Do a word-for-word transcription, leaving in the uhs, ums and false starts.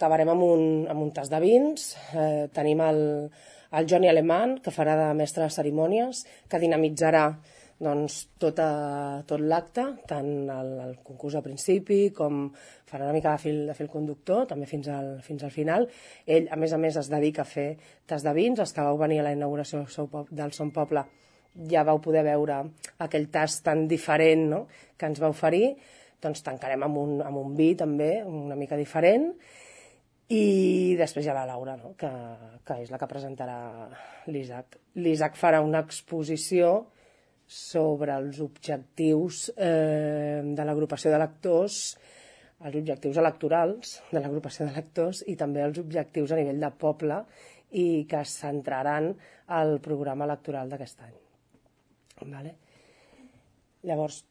acabarem amb un, amb un tas de vins. Eh, tenim el, el Johnny Alemán, que farà de mestre de cerimònies, que dinamitzarà doncs, tot, a, tot l'acte, tant el, el concurs al principi com farà una mica de fil, de fil conductor, també fins al, fins al final. Ell, a més a més, es dedica a fer tas de vins. Els que vau venir a la inauguració del Son Poble ja vau poder veure aquell tas tan diferent, no?, que ens va oferir. Doncs tancarem amb un, amb un vi també, una mica diferent. I després hi ha la Laura, no?, que, que és la que presentarà l'Isaac. L'Isaac farà una exposició sobre els objectius eh, de l'agrupació de lectors, els objectius electorals de l'agrupació de lectors i també els objectius a nivell de poble i que es centraran al programa electoral d'aquest any. Vale? Llavors,